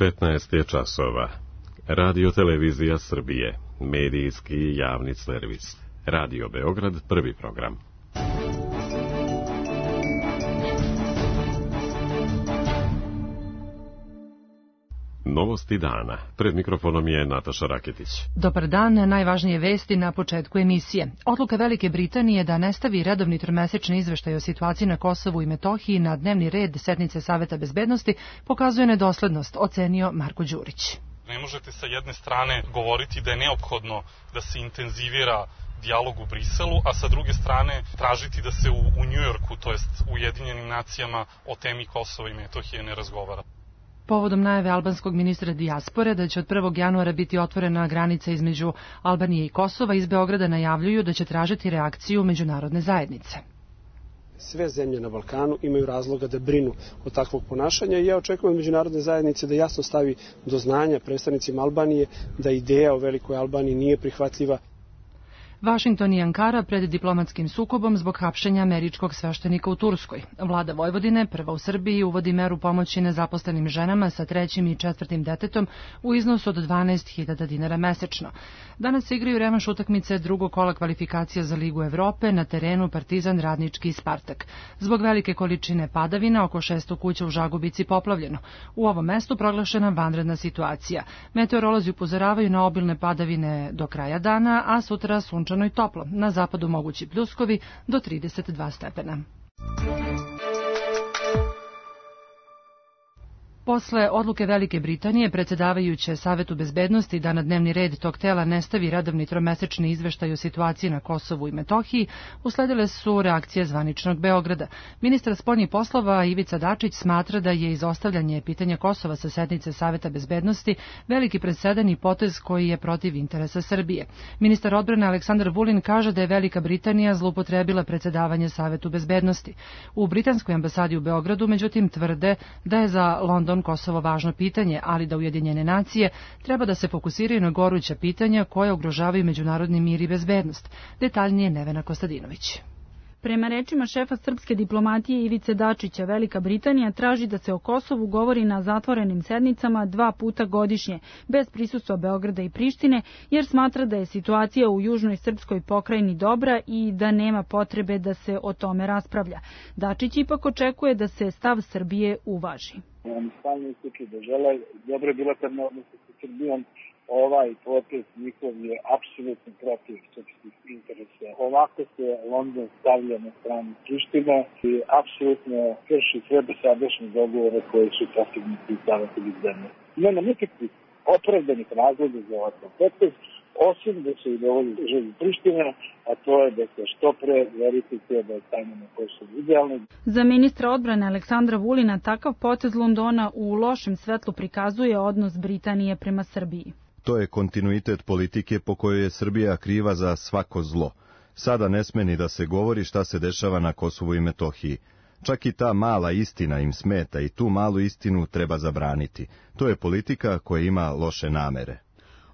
15 je časova. Radio Televizija Srbije, medijski javni servis. Radio Beograd, prvi program. Novosti dana. Pred mikrofonom je Nataša Raketić. Dobar dan, najvažnije vesti na početku emisije. Odluka Velike Britanije da ne stavi redovni tromesečni izveštaj o situaciji na Kosovu i Metohiji na dnevni red sednice Saveta bezbednosti pokazuje nedoslednost, ocenio Marko Đurić. Ne možete sa jedne strane govoriti da je neophodno da se intenzivira dijalog u Briselu, a sa druge strane tražiti da se u Njujorku, to jest u Ujedinjenim nacijama, o temi Kosova i Metohije ne razgovara. Povodom najave albanskog ministra dijaspore da će od 1. januara biti otvorena granica između Albanije i Kosova, iz Beograda najavljuju da će tražiti reakciju međunarodne zajednice. Sve zemlje na Balkanu imaju razloga da brinu od takvog ponašanja i ja očekujem od međunarodne zajednice da jasno stavi do znanja predstavnicima Albanije da ideja o velikoj Albaniji nije prihvatljiva. Vašington i Ankara pred diplomatskim sukobom zbog hapšenja američkog sveštenika u Turskoj. Vlada Vojvodine, prva u Srbiji, uvodi meru pomoći nezaposlenim ženama sa 3. i 4. detetom u iznosu od 12.000 dinara mesečno. Danas se igraju revanš utakmice drugog kola kvalifikacija za Ligu Evrope na terenu Partizan, Radnički i Spartak. Zbog velike količine padavina, oko 600 kuća u Žagubici poplavljeno. U ovom mestu proglašena vanredna situacija. Meteorolozi upozoravaju na obilne padavine do kraja dana, a sutra sunčano i toplo. Na zapadu mogući pljuskovi do 32 stepena. Posle odluke Velike Britanije, predsjedavajuće Savetu bezbednosti da na dnevni red tog tela ne stavi redovni tromesečni izveštaj o situaciji na Kosovu i Metohiji, usledile su reakcije zvaničnog Beograda. Ministar spoljnih poslova Ivica Dačić smatra da je izostavljanje pitanja Kosova sa sednice Saveta bezbednosti veliki presedan i potez koji je protiv interesa Srbije. Ministar odbrane Aleksandar Vulin kaže da je Velika Britanija zloupotrebila predsjedavanje Savetu bezbednosti. U britanskoj ambasadi u Beogradu, međutim, tvrde da je za London Kosovo važno pitanje, ali da Ujedinjene nacije treba da se fokusiraju na goruća pitanja koja ugrožavaju međunarodni mir i bezbednost. Detaljnije Nevena Kostadinović. Prema rečima šefa srpske diplomatije Ivice Dačića, Velika Britanija traži da se o Kosovu govori na zatvorenim sednicama 2 puta godišnje, bez prisustva Beograda i Prištine, jer smatra da je situacija u južnoj srpskoj pokrajini dobra i da nema potrebe da se o tome raspravlja. Dačić ipak očekuje da se stav Srbije uvaži. Oni stalno ističu da žele dobre bilateralne odnose sa Srbijom. Ovaj potez njihov je apsolutno protiv srpskih interesa. Ovako se London stavlja na stranu Prištine i apsolutno krši sve dosadašnje dogovore koje su postignuti u Savetu bezbednosti. Nema nikakvih opravdanih razloga za ovakav potez, osim da se udovolji želji Prištine, a to je da se što pre verifikuje da je stanje na Kosovu idealno. Za ministra odbrane Aleksandra Vulina takav potez Londona u lošem svetlu prikazuje odnos Britanije prema Srbiji. To je kontinuitet politike po kojoj je Srbija kriva za svako zlo. Sada ne sme ni da se govori šta se dešava na Kosovu i Metohiji. Čak i ta mala istina im smeta i tu malu istinu treba zabraniti. To je politika koja ima loše namere.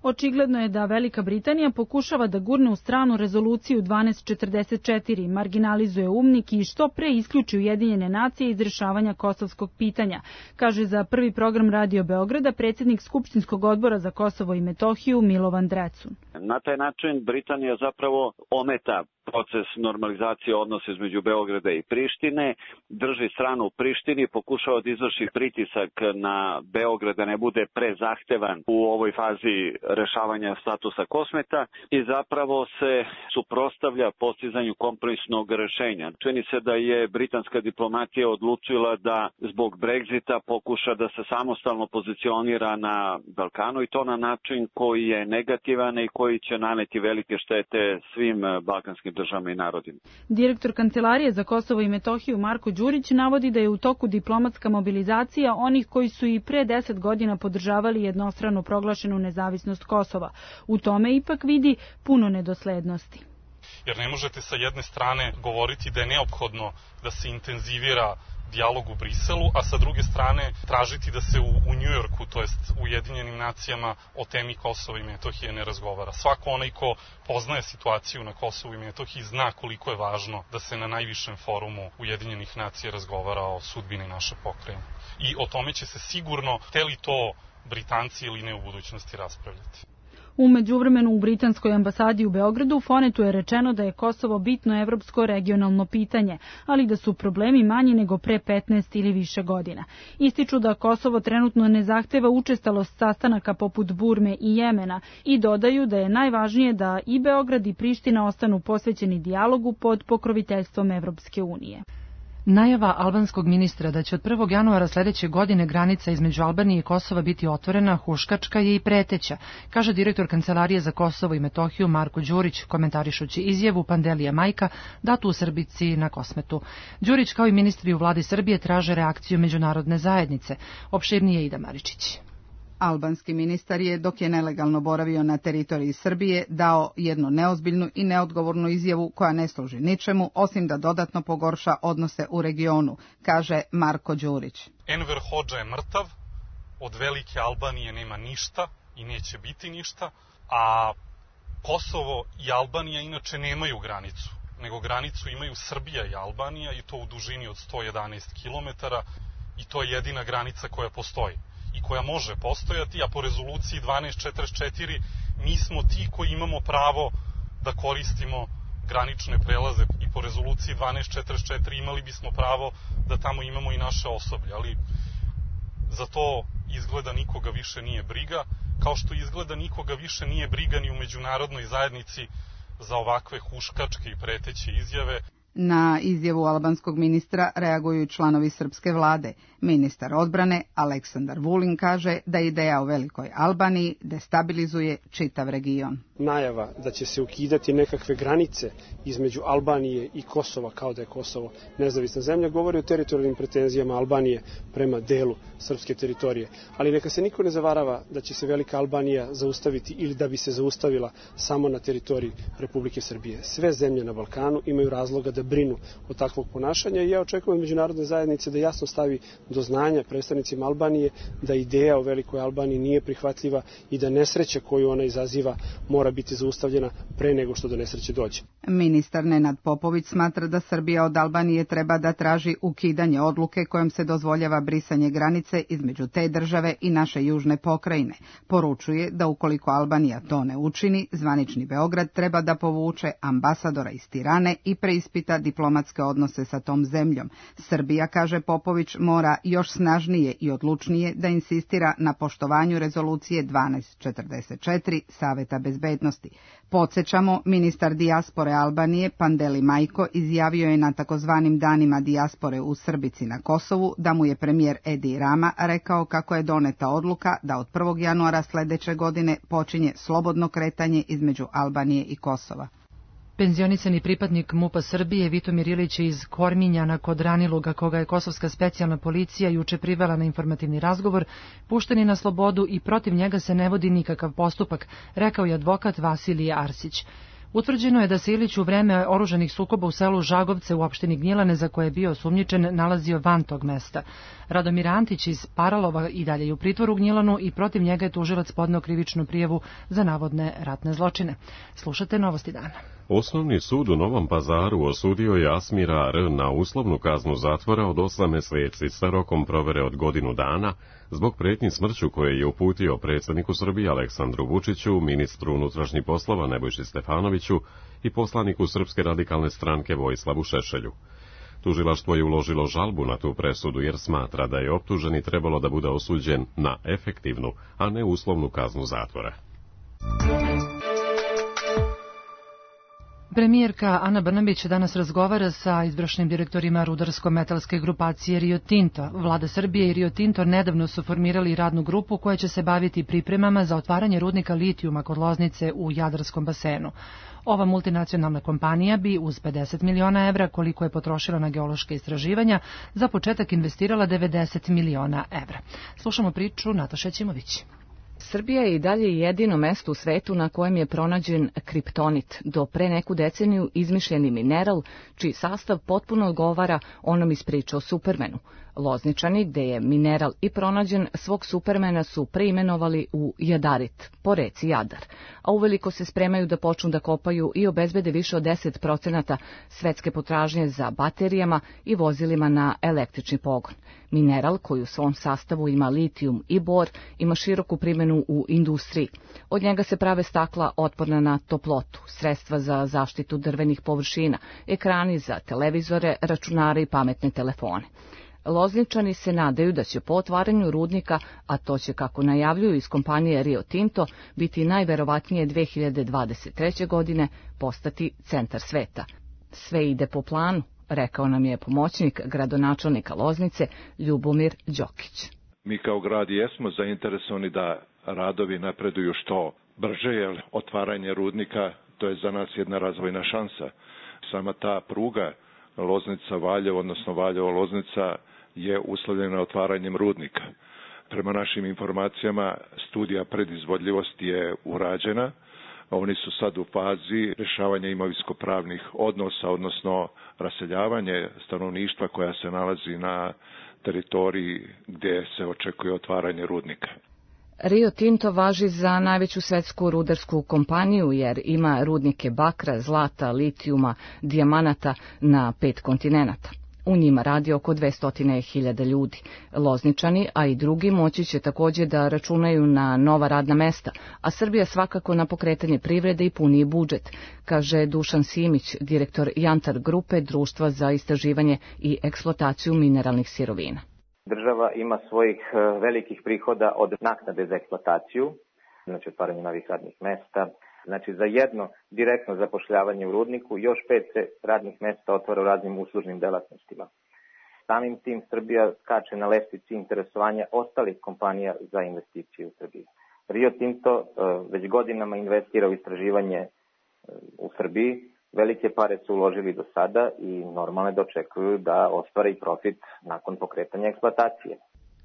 Očigledno je da Velika Britanija pokušava da gurne u stranu rezoluciju 1244, marginalizuje UMNIK i što pre isključi Ujedinjene nacije iz rješavanja kosovskog pitanja, kaže za prvi program Radio Beograda predsjednik Skupštinskog odbora za Kosovo i Metohiju Milovan Drecun. Na taj način Britanija zapravo ometa proces normalizacije odnosa između Beograda i Prištine, drži stranu u Prištini, pokušava da izvrši pritisak na Beograd da ne bude prezahtevan u ovoj fazi rešavanja statusa Kosmeta i zapravo se suprotstavlja postizanju kompromisnog rešenja. Čini se da je britanska diplomatija odlučila da zbog Brexita pokuša da se samostalno pozicionira na Balkanu i to na način koji je negativan i koji će naneti velike štete svim balkanskim državama i narodima. Direktor Kancelarije za Kosovo i Metohiju Marko Đurić navodi da je u toku diplomatska mobilizacija onih koji su i pre 10 godina podržavali jednostrano proglašenu nezavisnost Kosova. U tome ipak vidi puno nedoslednosti. Jer ne možete sa jedne strane govoriti da je neophodno da se intenzivira dijalog u Briselu, a sa druge strane tražiti da se u Njujorku, to jest u Ujedinjenim nacijama, o temi Kosova i Metohije ne razgovara. Svako onaj ko poznaje situaciju na Kosovu i Metohiji zna koliko je važno da se na najvišem forumu Ujedinjenih nacija razgovara o sudbini naše pokrajine. I o tome će se sigurno, hteli to Britanci ili ne, u budućnosti raspravljati. U međuvremenu u britanskoj ambasadi u Beogradu Fonetu je rečeno da je Kosovo bitno evropsko regionalno pitanje, ali da su problemi manji nego pre 15 ili više godina. Ističu da Kosovo trenutno ne zahteva učestalost sastanaka poput Burme i Jemena i dodaju da je najvažnije da i Beograd i Priština ostanu posvećeni dijalogu pod pokroviteljstvom Evropske unije. Najava albanskog ministra da će od 1. januara sledeće godine granica između Albanije i Kosova biti otvorena huškačka je i preteća, kaže direktor Kancelarije za Kosovo i Metohiju Marko Đurić, komentarišući izjavu Pandelija Majka datu u Srbici na Kosmetu. Đurić kao i ministri u vladi Srbije traže reakciju međunarodne zajednice. Opširnije Ida Maričić. Albanski ministar je, dok je nelegalno boravio na teritoriji Srbije, dao jednu neozbiljnu i neodgovornu izjavu koja ne služi ničemu, osim da dodatno pogorša odnose u regionu, kaže Marko Đurić. Enver Hodža je mrtav, od velike Albanije nema ništa i neće biti ništa, a Kosovo i Albanija inače nemaju granicu, nego granicu imaju Srbija i Albanija i to u dužini od 111 km i to je jedina granica koja postoji i koja može postojati, a po rezoluciji 1244 mi smo ti koji imamo pravo da koristimo granične prelaze i po rezoluciji 1244 imali bismo pravo da tamo imamo i naše osoblje, ali za to izgleda nikoga više nije briga, kao što izgleda nikoga više nije briga ni u međunarodnoj zajednici za ovakve huškačke i preteće izjave. Na izjavu albanskog ministra reaguju članovi srpske vlade. Ministar odbrane Aleksandar Vulin kaže da ideja o velikoj Albaniji destabilizuje čitav region. Najava da će se ukidati nekakve granice između Albanije i Kosova, kao da je Kosovo nezavisna zemlja, govori o teritorijalnim pretenzijama Albanije prema delu srpske teritorije. Ali neka se niko ne zavarava da će se velika Albanija zaustaviti ili da bi se zaustavila samo na teritoriji Republike Srbije. Sve zemlje na Balkanu imaju razloga da brinu od takvog ponašanja i ja očekujem od međunarodne zajednice da jasno stavi do znanja predstavnicima Albanije da ideja o velikoj Albaniji nije prihvatljiva i da nesreća koju ona izaziva mora biti zaustavljena pre nego što do nesreće dođe. Ministar Nenad Popović smatra da Srbija od Albanije treba da traži ukidanje odluke kojom se dozvoljava brisanje granice između te države i naše južne pokrajine. Poručuje da ukoliko Albanija to ne učini, zvanični Beograd treba da povuče ambasadora iz Tirane i preispita diplomatske odnose sa tom zemljom. Srbija, kaže Popović, mora još snažnije i odlučnije da insistira na poštovanju rezolucije 1244 Saveta bezbednosti. Podsjećamo, ministar dijaspore Albanije Pandeli Majko izjavio je na takozvanim danima dijaspore u Srbici na Kosovu da mu je premijer Edi Rama rekao kako je doneta odluka da od 1. januara sledeće godine počinje slobodno kretanje između Albanije i Kosova. Penzionisani pripadnik MUP-a Srbije Vitomir Ilić iz Korminjana kod Raniluga, koga je kosovska specijalna policija juče privela na informativni razgovor, pušten je na slobodu i protiv njega se ne vodi nikakav postupak, rekao je advokat Vasilije Arsić. Utvrđeno je da se Ilić u vreme oružanih sukoba u selu Žagovce u opštini Gnjilane, za koje je bio osumnjičen, nalazio van tog mesta. Radomir Antić iz Paralova i dalje je u pritvoru u Gnjilanu i protiv njega je tužilac podneo krivičnu prijavu za navodne ratne zločine. Slušate Novosti dana. Osnovni sud u Novom Pazaru osudio je Asmira R. na uslovnu kaznu zatvora od 8 meseci sa rokom provere od godinu dana zbog pretnji smrću koje je uputio predsjedniku Srbije Aleksandru Vučiću, ministru unutrašnjih poslova Nebojši Stefanoviću i poslaniku Srpske radikalne stranke Vojislavu Šešelju. Tužilaštvo je uložilo žalbu na tu presudu jer smatra da je optuženi trebalo da bude osuđen na efektivnu, a ne uslovnu kaznu zatvora. Premijerka Ana Brnabić danas razgovara sa izvršnim direktorima rudarsko-metalske grupacije Rio Tinto. Vlada Srbije i Rio Tinto nedavno su formirali radnu grupu koja će se baviti pripremama za otvaranje rudnika litijuma kod Loznice u Jadarskom basenu. Ova multinacionalna kompanija bi uz 50 miliona evra, koliko je potrošila na geološke istraživanja, za početak investirala 90 miliona evra. Slušamo priču Nataše Ćimović. Srbija je i dalje jedino mesto u svetu na kojem je pronađen kriptonit, do pre neku deceniju izmišljeni mineral, čiji sastav potpuno odgovara onom iz priče o Supermanu. Lozničani, gde je mineral i pronađen, svog Supermana su preimenovali u Jadarit, po reci Jadar, a uveliko se spremaju da počnu da kopaju i obezbede više od 10% svetske potražnje za baterijama i vozilima na električni pogon. Mineral, koji u svom sastavu ima litijum i bor, ima široku primjenu u industriji. Od njega se prave stakla otporna na toplotu, sredstva za zaštitu drvenih površina, ekrani za televizore, računare i pametne telefone. Lozničani se nadaju da će po otvaranju rudnika, a to će, kako najavljuju iz kompanije Rio Tinto, biti najverovatnije 2023. godine, postati centar sveta. Sve ide po planu, rekao nam je pomoćnik gradonačelnika Loznice Ljubomir Đokić. Mi kao grad jesmo zainteresovani da radovi napreduju što brže, jer otvaranje rudnika to je za nas jedna razvojna šansa. Sama ta pruga Loznica-Valjevo, odnosno Valjevo-Loznica je uslovljena otvaranjem rudnika. Prema našim informacijama studija predizvodljivosti je urađena. Oni su sad u fazi rješavanja imovinsko-pravnih odnosa, odnosno raseljavanje stanovništva koja se nalazi na teritoriji gdje se očekuje otvaranje rudnika. Rio Tinto važi za najveću svetsku rudarsku kompaniju jer ima rudnike bakra, zlata, litijuma, dijamanata na 5 kontinenata. U njima radi oko 200.000 ljudi. Lozničani, a i drugi, moći će također da računaju na nova radna mesta, a Srbija svakako na pokretanje privrede i puniji budžet, kaže Dušan Simić, direktor Jantar grupe, društva za istraživanje i eksploataciju mineralnih sirovina. Država ima svojih velikih prihoda od naknade za eksploataciju, znači otvaranje novih radnih mesta. Znači za jedno direktno zapošljavanje u rudniku još 5 se radnih mesta otvara u raznim uslužnim delatnostima. Samim tim Srbija skače na lestvici interesovanja ostalih kompanija za investicije u Srbiji. Rio Tinto već godinama investira u istraživanje u Srbiji. Velike pare su uložili do sada i normalno da očekuju da ostvare i profit nakon pokretanja eksploatacije.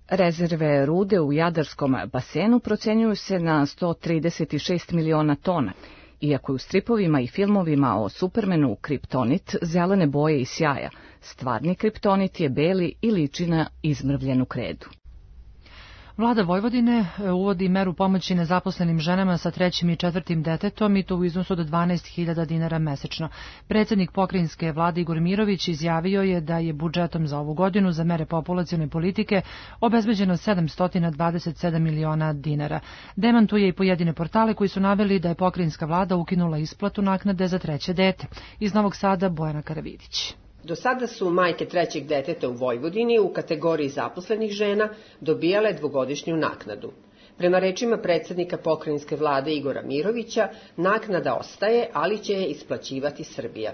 Rezerve rude u Jadarskom basenu procenjuju se na 136 miliona tona, iako je u stripovima i filmovima o Supermanu kriptonit zelene boje i sjaja, stvarni kriptonit je beli i liči na izmrvljenu kredu. Vlada Vojvodine uvodi meru pomoći nezaposlenim ženama sa 3. i 4. detetom i to u iznosu od 12.000 dinara mesečno. Predsjednik pokrajinske vlade Igor Mirović izjavio je da je budžetom za ovu godinu za mere populacione politike obezbeđeno 727 miliona dinara. Demantuje i pojedine portale koji su naveli da je pokrajinska vlada ukinula isplatu naknade za 3. dete. Iz Novog Sada Bojana Karavidić. Do sada su majke 3. deteta u Vojvodini u kategoriji zaposlenih žena dobijale 2-godišnju naknadu. Prema rečima predsjednika pokrajinske vlade Igora Mirovića, naknada ostaje, ali će je isplaćivati Srbija.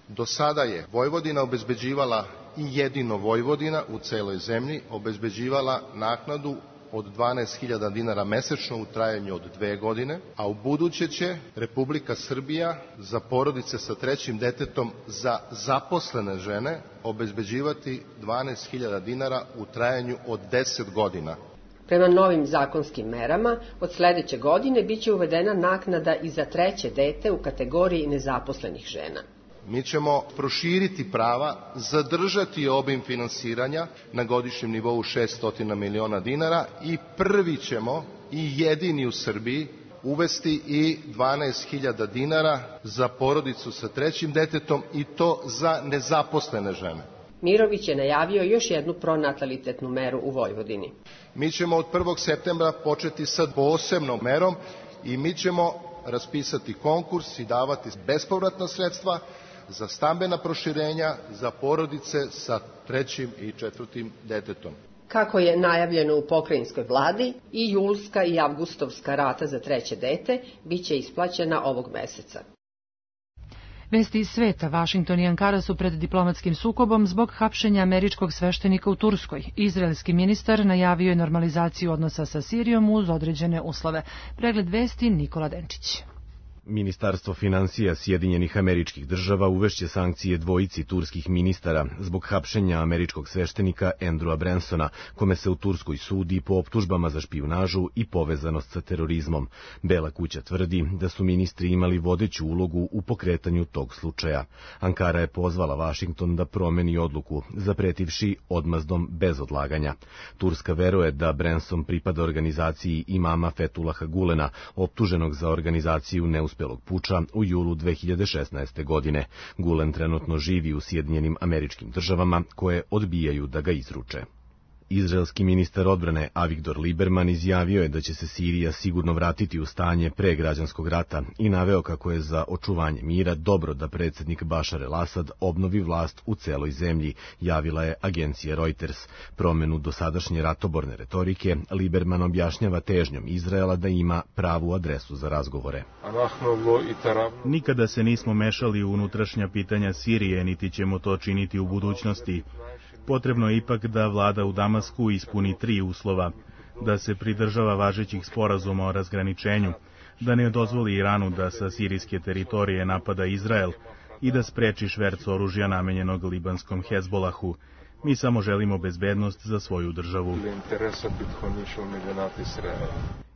Do sada je Vojvodina obezbeđivala i jedino Vojvodina u celoj zemlji obezbeđivala naknadu od 12.000 dinara mesečno u trajanju od 2 godine, a u buduće će Republika Srbija za porodice sa 3. detetom za zaposlene žene obezbeđivati 12.000 dinara u trajanju od 10 godina. Prema novim zakonskim merama, od sljedeće godine biće uvedena naknada i za 3. dete u kategoriji nezaposlenih žena. Mi ćemo proširiti prava, zadržati obim finansiranja na godišnjem nivou 600 miliona dinara i prvi ćemo i jedini u Srbiji uvesti i 12.000 dinara za porodicu sa 3. detetom i to za nezaposlene žene. Mirović je najavio još jednu pronatalitetnu meru u Vojvodini. Mi ćemo od 1. septembra početi sa posebnom merom i mi ćemo raspisati konkurs i davati bespovratna sredstva za stambena proširenja za porodice sa 3. i 4. detetom. Kako je najavljeno u pokrajinskoj vladi, i julska i avgustovska rata za 3. dete biće isplaćena ovog meseca. Vesti iz sveta, Vašington i Ankara su pred diplomatskim sukobom zbog hapšenja američkog sveštenika u Turskoj. Izraelski ministar najavio je normalizaciju odnosa sa Sirijom uz određene uslove. Pregled vesti Nikola Denčić. Ministarstvo finansija Sjedinjenih Američkih Država uvešće sankcije dvojici turskih ministara zbog hapšenja američkog sveštenika Andrewa Bransona, kome se u Turskoj sudi po optužbama za špijunažu i povezanost sa terorizmom. Bela kuća tvrdi da su ministri imali vodeću ulogu u pokretanju tog slučaja. Ankara je pozvala Vašington da promeni odluku, zapretivši odmazdom bez odlaganja. Turska veruje da Branson pripada organizaciji imama Fethullaha Gulena, optuženog za organizaciju neuspelog puča u julu 2016. godine. Gulen trenutno živi u Sjedinjenim Američkim Državama, koje odbijaju da ga izruče. Izraelski ministar odbrane Avigdor Lieberman izjavio je da će se Sirija sigurno vratiti u stanje pre građanskog rata i naveo kako je za očuvanje mira dobro da predsjednik Bašar el-Asad obnovi vlast u celoj zemlji, javila je agencija Reuters. Promenu dosadašnje ratoborne retorike Lieberman objašnjava težnjom Izraela da ima pravu adresu za razgovore. Nikada se nismo mešali u unutrašnja pitanja Sirije, niti ćemo to činiti u budućnosti. Potrebno je ipak da vlada u Damasku ispuni 3 uslova: da se pridržava važećih sporazuma o razgraničenju, da ne dozvoli Iranu da sa sirijske teritorije napada Izrael i da spreči šverc oružja namenjenog libanskom Hezbolahu. Mi samo želimo bezbednost za svoju državu.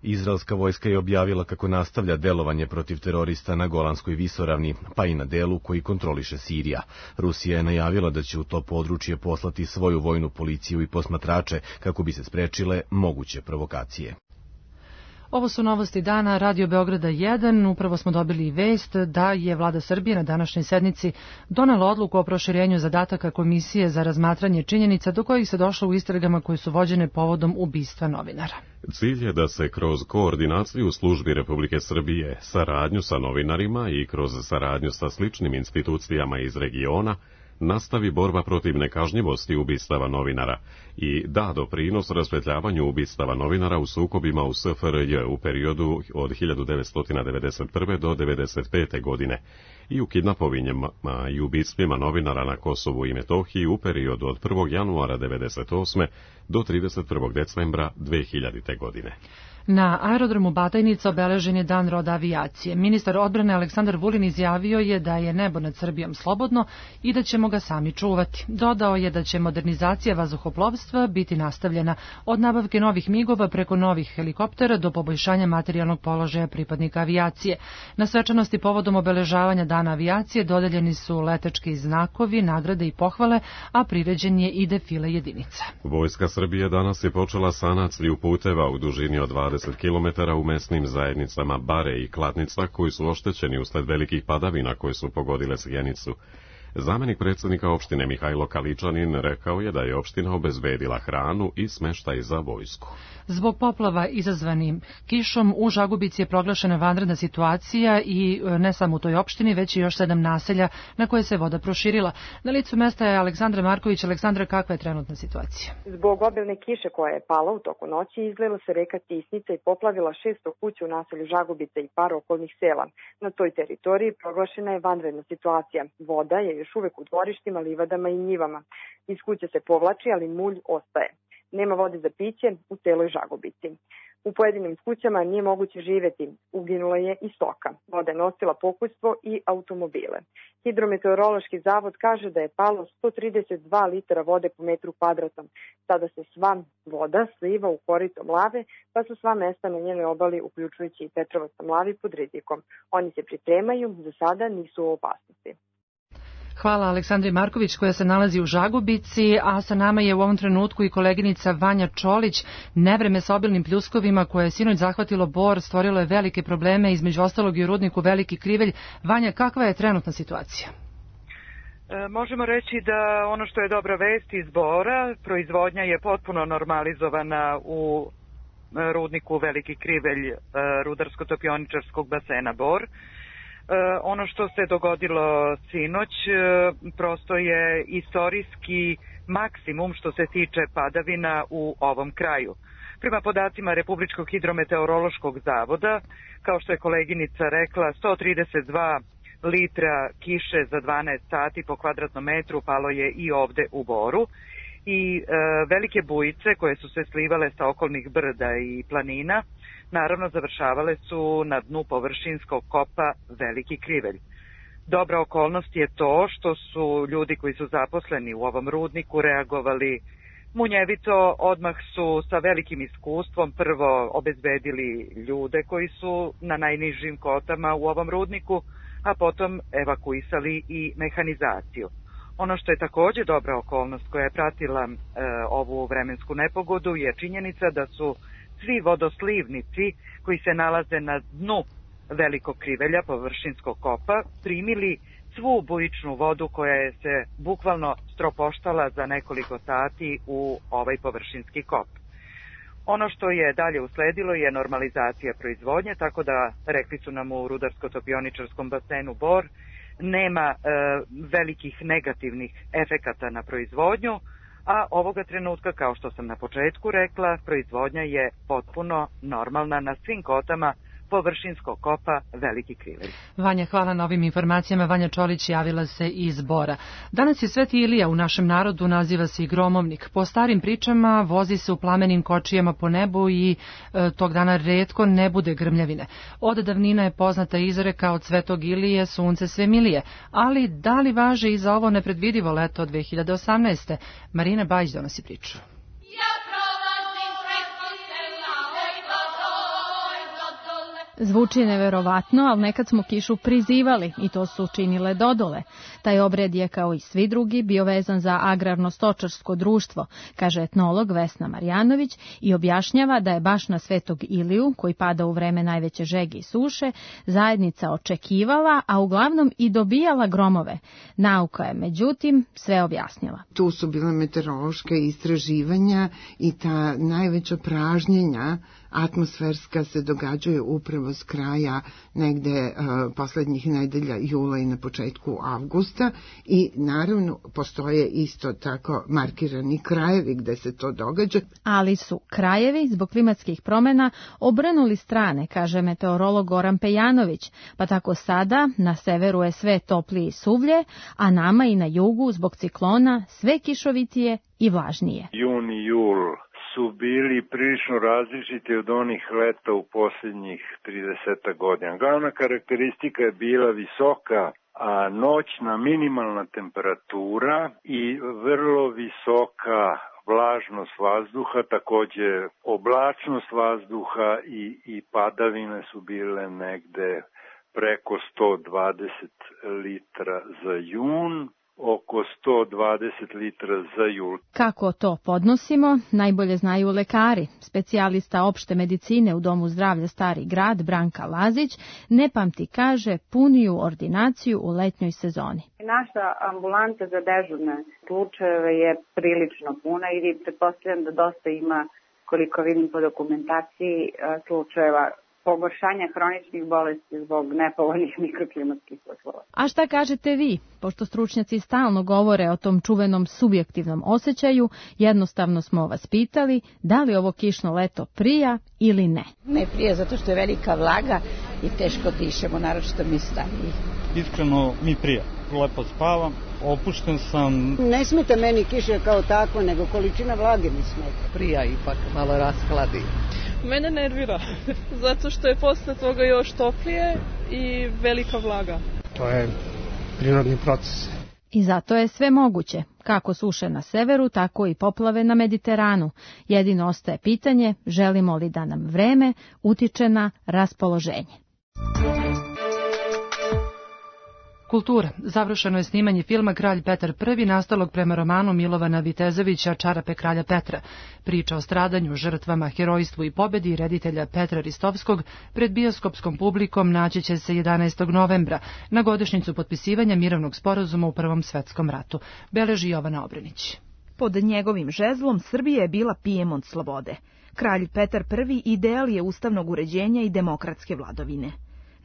Izraelska vojska je objavila kako nastavlja delovanje protiv terorista na Golanskoj visoravni, pa i na delu koji kontroliše Sirija. Rusija je najavila da će u to područje poslati svoju vojnu policiju i posmatrače kako bi se sprečile moguće provokacije. Ovo su novosti dana Radio Beograda 1. Upravo smo dobili vest da je vlada Srbije na današnjoj sednici donela odluku o proširenju zadataka Komisije za razmatranje činjenica do kojih se došlo u istragama koje su vođene povodom ubistva novinara. Cilj je da se kroz koordinaciju službi Republike Srbije, saradnju sa novinarima i kroz saradnju sa sličnim institucijama iz regiona nastavi borba protiv nekažnjivosti ubistava novinara i da doprinos rasvetljavanju ubistava novinara u sukobima u SFRJ u periodu od 1991. do 1995. godine i u kidnapovinjama i ubistvima novinara na Kosovu i Metohiji u periodu od 1. januara 1998. do 31. decembra 2000. godine. Na aerodromu Batajnica obeležen je Dan roda avijacije. Ministar odbrane Aleksandar Vulin izjavio je da je nebo nad Srbijom slobodno i da ćemo ga sami čuvati. Dodao je da će modernizacija vazduhoplovstva biti nastavljena od nabavke novih migova preko novih helikoptera do poboljšanja materijalnog položaja pripadnika avijacije. Na svečanosti povodom obeležavanja Dana avijacije dodeljeni su letački znakovi, nagrade i pohvale, a priređen je i defile jedinica. Vojska Srbije danas je počela sanaciju puteva u dužini od 20 km u mesnim zajednicama Bare i Kladnica koji su oštećeni usled velikih padavina koje su pogodile Sjenicu. Zamenik predsjednika opštine Mihajlo Kaličanin rekao je da je opština obezbedila hranu i smeštaj za vojsku. Zbog poplava izazvanim kišom u Žagubici je proglašena vanredna situacija i ne samo u toj opštini, već i još 7 naselja na koje se voda proširila. Na licu mesta je Aleksandra Marković. Aleksandra, kakva je trenutna situacija? Zbog obilne kiše koja je pala u toku noći, izlila se reka Tisnica i poplavila 600 kuća u naselju Žagubica i par okolnih sela. Na toj teritoriji proglašena je vanredna situacija. Voda je još uvek u dvorištima, livadama i njivama. Iz kuće se povlači, ali mulj ostaje. Nema vode za piće u celoj Žagubici. U pojedinim kućama nije moguće živeti, uginula je i stoka. Voda je nosila pokućstvo i automobile. Hidrometeorološki zavod kaže da je palo 132 litara vode po metru kvadratnom. Sada se sva voda sliva u korito Mlave, pa su sva mesta na njenoj obali, uključujući i Petrovac na Mlavi, pod rizikom. Oni se pripremaju, za sada nisu u opasnosti. Hvala Aleksandri Marković koja se nalazi u Žagubici, a sa nama je u ovom trenutku i koleginica Vanja Čolić. Nevreme sa obilnim pljuskovima koje je sinoć zahvatilo Bor stvorilo je velike probleme, između ostalog i u rudniku Veliki Krivelj. Vanja, kakva je trenutna situacija? Možemo reći da ono što je dobra vest iz Bora, proizvodnja je potpuno normalizovana u rudniku Veliki Krivelj rudarsko-topioničarskog basena Bor. Ono što se dogodilo sinoć prosto je istorijski maksimum što se tiče padavina u ovom kraju. Prema podacima Republičkog hidrometeorološkog zavoda, kao što je koleginica rekla, 132 litra kiše za 12 sati po kvadratnom metru palo je i ovde u Boru. i velike bujice koje su se slivale sa okolnih brda i planina, naravno završavale su na dnu površinskog kopa Veliki Krivelj. Dobra okolnost je to što su ljudi koji su zaposleni u ovom rudniku reagovali munjevito, odmah su sa velikim iskustvom prvo obezbedili ljude koji su na najnižim kotama u ovom rudniku, a potom evakuisali i mehanizaciju. Ono što je takođe dobra okolnost koja je pratila ovu vremensku nepogodu je činjenica da su svi vodoslivnici koji se nalaze na dnu Velikog Krivelja, površinskog kopa, primili svu bujičnu vodu koja je se bukvalno stropoštala za nekoliko sati u ovaj površinski kop. Ono što je dalje usledilo je normalizacija proizvodnje, tako da, rekli su nam u rudarsko-topioničarskom basenu Bor, nema velikih negativnih efekata na proizvodnju, a ovoga trenutka, kao što sam na početku rekla, proizvodnja je potpuno normalna na svim kotama površinskog kopa Veliki Krivelj. Vanja, hvala na ovim informacijama. Vanja Čolić javila se iz Bora. Danas je Sveti Ilija, u našem narodu naziva se i gromovnik. Po starim pričama vozi se u plamenim kočijama po nebu i tog dana retko ne bude grmljavine. Od davnina je poznata izreka od Svetog Ilije sunce sve milije, ali da li važe i za ovo nepredvidivo leto 2018. Marina Bajić donosi priču. Zvuči neverovatno, ali nekad smo kišu prizivali i to su činile dodole. Taj obred je, kao i svi drugi, bio vezan za agrarno-stočarsko društvo, kaže etnolog Vesna Marjanović i objašnjava da je baš na Svetog Iliju, koji pada u vreme najveće žege i suše, zajednica očekivala, a uglavnom i dobijala gromove. Nauka je, međutim, sve objasnila. Tu su bile meteorološke istraživanja i ta najveća pražnjenja atmosferska se događaju upravo s kraja negde poslednjih nedelja jula i na početku avgusta i naravno postoje isto tako markirani krajevi gde se to događa. Ali su krajevi zbog klimatskih promena obrnuli strane, kaže meteorolog Goran Pejanović, pa tako sada na severu je sve toplije i suvlje, a nama i na jugu zbog ciklona sve kišovitije i vlažnije. Jun i jul su bili prilično različiti od onih leta u posljednjih 30 godina. Glavna karakteristika je bila visoka noćna minimalna temperatura i vrlo visoka vlažnost vazduha, takođe oblačnost vazduha i padavine su bile negde preko 120 litra za jun, oko 120 litra za jul. Kako to podnosimo, najbolje znaju lekari. Specijalista opšte medicine u Domu zdravlja Stari grad Branka Lazić ne pamti, kaže, puniju ordinaciju u letnjoj sezoni. Naša ambulanta za dežurne slučajeve je prilično puna i pretpostavljam da dosta ima, koliko vidim po dokumentaciji, slučajeva pogoršanja hroničnih bolesti zbog nepovoljnih mikroklimatskih uslova. A šta kažete vi? Pošto stručnjaci stalno govore o tom čuvenom subjektivnom osjećaju, jednostavno smo vas pitali da li ovo kišno leto prija ili ne. Ne prija zato što je velika vlaga i teško dišemo, naročito mi stariji. Iskreno mi prija. Lepo spavam, opušten sam. Ne smeta meni kiša kao tako, nego količina vlage mi smeta. Prija ipak malo raskladi. Mene nervira, zato što je posle toga još toplije i velika vlaga. To je prirodni proces. I zato je sve moguće, kako suše na severu, tako i poplave na Mediteranu. Jedino ostaje pitanje, želimo li da nam vreme utiče na raspoloženje. Kultura. Završeno je snimanje filma Kralj Petar I, nastalog prema romanu Milovana Vitezovića Čarape kralja Petra. Priča o stradanju, žrtvama, herojstvu i pobedi reditelja Petra Ristovskog pred bioskopskom publikom naći će se 11. novembra, na godišnjicu potpisivanja mirovnog sporazuma u Prvom svetskom ratu. Beleži Jovana Obrenić. Pod njegovim žezlom Srbija je bila Pijemont slobode. Kralj Petar I ideal je ustavnog uređenja i demokratske vladovine.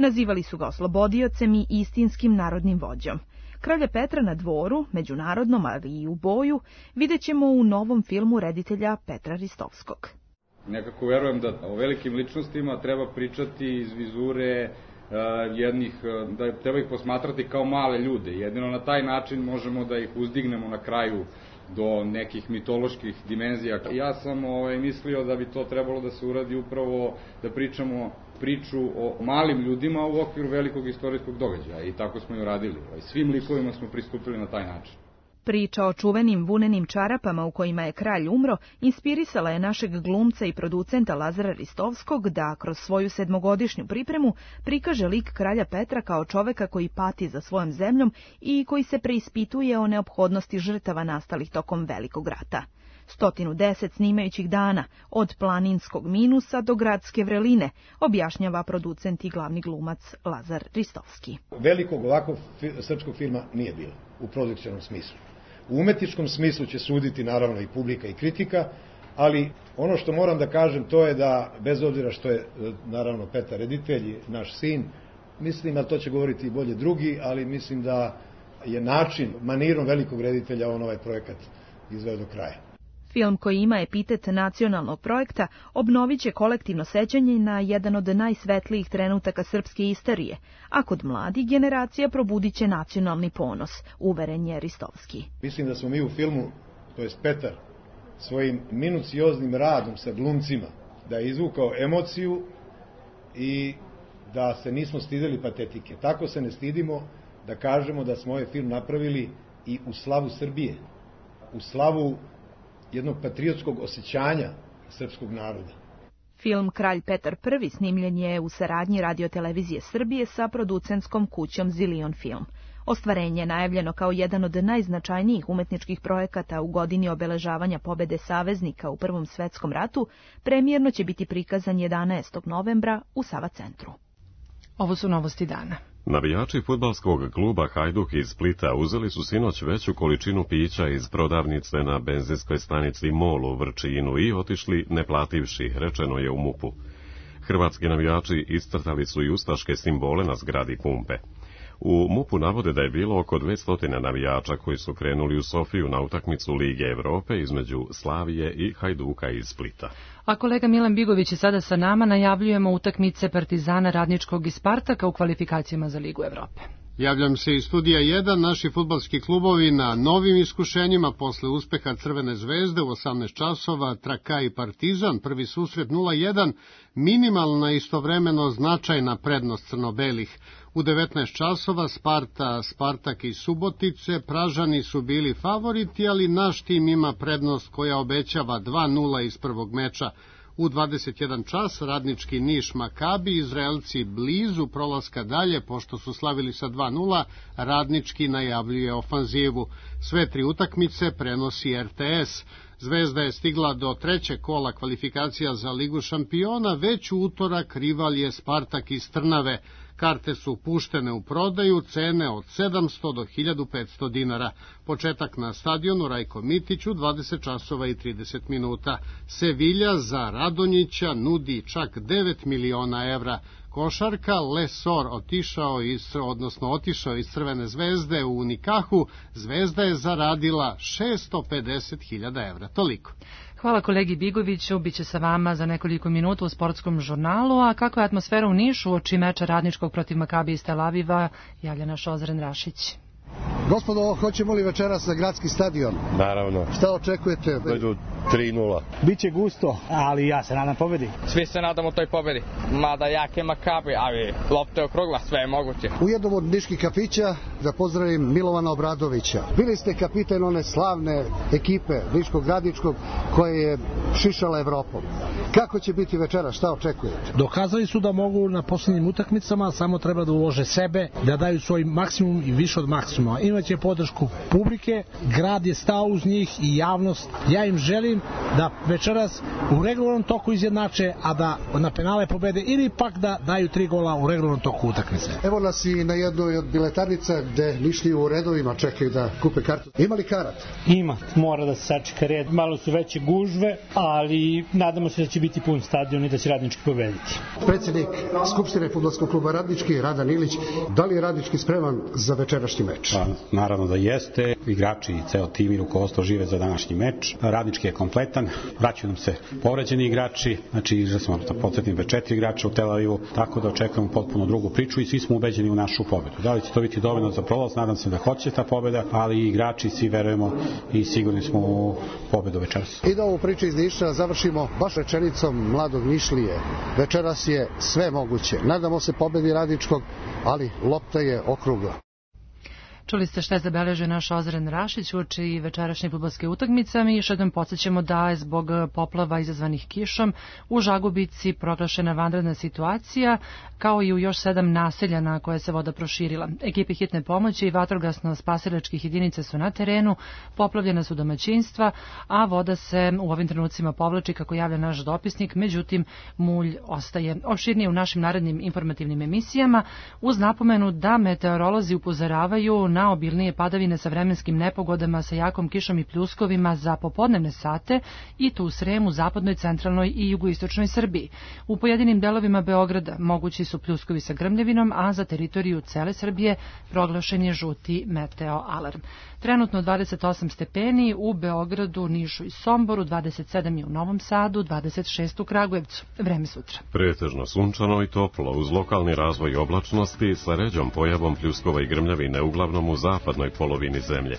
Nazivali su ga oslobodiocem i istinskim narodnim vođom. Kralja Petra na dvoru, međunarodnom, ali i u boju, vidjet ćemo u novom filmu reditelja Petra Ristovskog. Nekako verujem da o velikim ličnostima treba pričati iz vizure da treba ih posmatrati kao male ljude. Jedino na taj način možemo da ih uzdignemo na kraju do nekih mitoloških dimenzija. Ja sam mislio da bi to trebalo da se uradi upravo da pričamo priču o malim ljudima u okviru velikog istorijskog događaja i tako smo i uradili. Svim likovima smo pristupili na taj način. Priča o čuvenim vunenim čarapama u kojima je kralj umro inspirisala je našeg glumca i producenta Lazara Ristovskog da kroz svoju 7-godišnju pripremu prikaže lik kralja Petra kao čoveka koji pati za svojom zemljom i koji se preispituje o neophodnosti žrtava nastalih tokom Velikog rata. 110 snimajućih dana, od planinskog minusa do gradske vreline, objašnjava producent i glavni glumac Lazar Ristovski. Velikog ovakvog srpskog filma nije bilo u produkcionom smislu. U umetničkom smislu će suditi naravno i publika i kritika, ali ono što moram da kažem to je da, bez obzira što je naravno Petar reditelj, naš sin, mislim, a to će govoriti i bolje drugi, ali mislim da je način, manirom velikog reditelja on ovaj projekat izveo do kraja. Film koji ima epitet nacionalnog projekta obnovit će kolektivno sećanje na jedan od najsvetlijih trenutaka srpske istorije, a kod mladih generacija probudit će nacionalni ponos, uveren je Ristovski. Mislim da smo mi u filmu, to je Petar, svojim minucioznim radom sa glumcima, da je izvukao emociju i da se nismo stideli patetike. Tako se ne stidimo da kažemo da smo ovaj film napravili i u slavu Srbije, u slavu jednog patriotskog osjećanja srpskog naroda. Film Kralj Petar I snimljen je u saradnji Radio-televizije Srbije sa producentskom kućom Zilion Film. Ostvarenje je najavljeno kao jedan od najznačajnijih umetničkih projekata u godini obeležavanja pobede saveznika u Prvom svetskom ratu, premijerno će biti prikazan 11. novembra u Sava centru. Ovo su novosti dana. Navijači fudbalskog kluba Hajduk iz Splita uzeli su sinoć veću količinu pića iz prodavnice na benzinskoj stanici MOL u Vrčinu i otišli ne plativši, rečeno je u MUP-u. Hrvatski navijači iscrtali su i ustaške simbole na zgradi pumpe. U MUP-u navode da je bilo oko 200 navijača koji su krenuli u Sofiju na utakmicu Lige Evrope između Slavije i Hajduka iz Splita. A kolega Milan Bigović je sada sa nama, najavljujemo utakmice Partizana, Radničkog i Spartaka u kvalifikacijama za Ligu Evrope. Javljam se iz studija 1, naši fudbalski klubovi na novim iskušenjima posle uspeha Crvene zvezde u 18 časova, Traka i Partizan, prvi susret 0-1, minimalna istovremeno značajna prednost crno-belih. U 19 časova Spartak i Subotice, Pražani su bili favoriti, ali naš tim ima prednost koja obećava 2-0 iz prvog meča. U 21 čas Radnički Niš Makabi, Izraelci blizu prolaska dalje, pošto su slavili sa 2-0, Radnički najavljuje ofanzivu. Sve tri utakmice prenosi RTS. Zvezda je stigla do trećeg kola kvalifikacija za Ligu šampiona, već u utorak rival je Spartak iz Trnave. Karte su puštene u prodaju, cene od 700 do 1500 dinara. Početak na stadionu Rajko Mitić u 20 časova i 30 minuta. Sevilja za Radonjića nudi čak 9 miliona evra. Košarka Lesor otišao iz Crvene zvezde u Unikahu. Zvezda je zaradila 650.000 evra. Toliko. Hvala kolegi Bigoviću, bit će sa vama za nekoliko minuta u sportskom žurnalu, a kako je atmosfera u Nišu uoči meča Radničkog protiv Makabi iz Tel Aviva, javlja naš Ozren Rašić. Gospodo, hoćemo li večeras na gradski stadion? Naravno. Šta očekujete? Idu 3-0. Biće gusto, ali ja se nadam pobedi. Svi se nadamo toj pobedi. Mada jake Makabi, ali lopta je okrugla, sve je moguće. U jednom od niških kafića da pozdravim Milovana Obradovića. Bili ste kapitan one slavne ekipe Niškog-Radničkog koje je šišala Evropom. Kako će biti večeras? Šta očekujete? Dokazali su da mogu na posljednjim utakmicama, samo treba da ulože sebe, da daju svoj maksimum i više od maksimuma. Imaće podršku publike, grad je stao uz njih i javnost. Ja im želim da večeras u regularnom toku izjednače, a da na penale pobede ili pak da daju 3 gola u regularnom toku utakmice. Evo nas i na jednoj od biletarnica gde Nišliji u redovima čekaju da kupe kartu. Ima li karat? Ima, mora da se sačeka red. Malo su veće gužve, ali nadamo se da će biti pun stadion i da će Radnički pobediti. Predsjednik Skupštine fudbalskog kluba Radnički, Radan Ilić, da li je Radnički spreman za večerašnji meč? Naravno da jeste. Igrači i ceo tim i rukovodstvo žive za današnji meč. Radnički je kompletan. kvalitetan, vraćaju nam se povređeni igrači, znači igra smo da podsjetim 4 igrača u Tel Avivu, tako da očekujemo potpuno drugu priču i svi smo ubeđeni u našu pobedu. Da li će to biti dovoljno za prolaz? Nadam se da hoće ta pobeda, ali i igrači svi verujemo i sigurni smo u pobedu večeras. I da ovu priču iz Niša završimo baš rečenicom mladog Nišlije. Večeras je sve moguće. Nadamo se pobedi Radničkog, ali lopta je okrugla. Čuli ste šta je zabeležio naš Ozren Rašić uoči večerašnje fudbalske utakmice. Mi još jednom podsjećamo da je zbog poplava izazvanih kišom u Žagubici proglašena vanredna situacija, kao i u još 7 naselja na koje se voda proširila. Ekipe hitne pomoći i vatrogasno-spasilačkih jedinica su na terenu, poplavljena su domaćinstva, a voda se u ovim trenucima povlači, kako javlja naš dopisnik, međutim mulj ostaje. Opširnije u našim narednim informativnim emisijama, uz napomenu da meteorolozi upozoravaju na obilnije padavine sa vremenskim nepogodama sa jakom kišom i pljuskovima za popodnevne sate i tu u Sremu, zapadnoj, centralnoj i jugoistočnoj Srbiji. U pojedinim delovima Beograda mogući su pljuskovi sa grmljevinom, a za teritoriju cele Srbije proglašen je žuti meteo alarm. Trenutno 28 stepeni u Beogradu, Nišu i Somboru, 27 je u Novom Sadu, 26 u Kragujevcu. Vreme sutra. Pretežno sunčano i toplo, uz lokalni razvoj oblačnosti sa ređom pojavom pljuskova i grmljavine, uglavnom u zapadnoj polovini zemlje.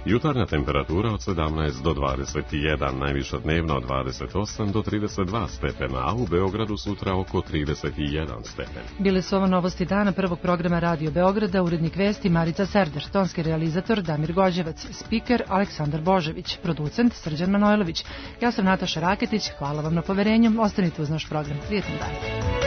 Jutarnja temperatura od 17 do 21, najviša dnevna od 28 do 32 stepena, a u Beogradu sutra oko 31 stepen. Bile su ovo novosti dana prvog programa Radio Beograda, urednik vesti Marica Serder, tonski realizator Damir Gođevac, spiker Aleksandar Božević, producent Srđan Manojlović. Ja sam Nataša Raketić, hvala vam na poverenju, ostanite uz naš program. Prijetan dan.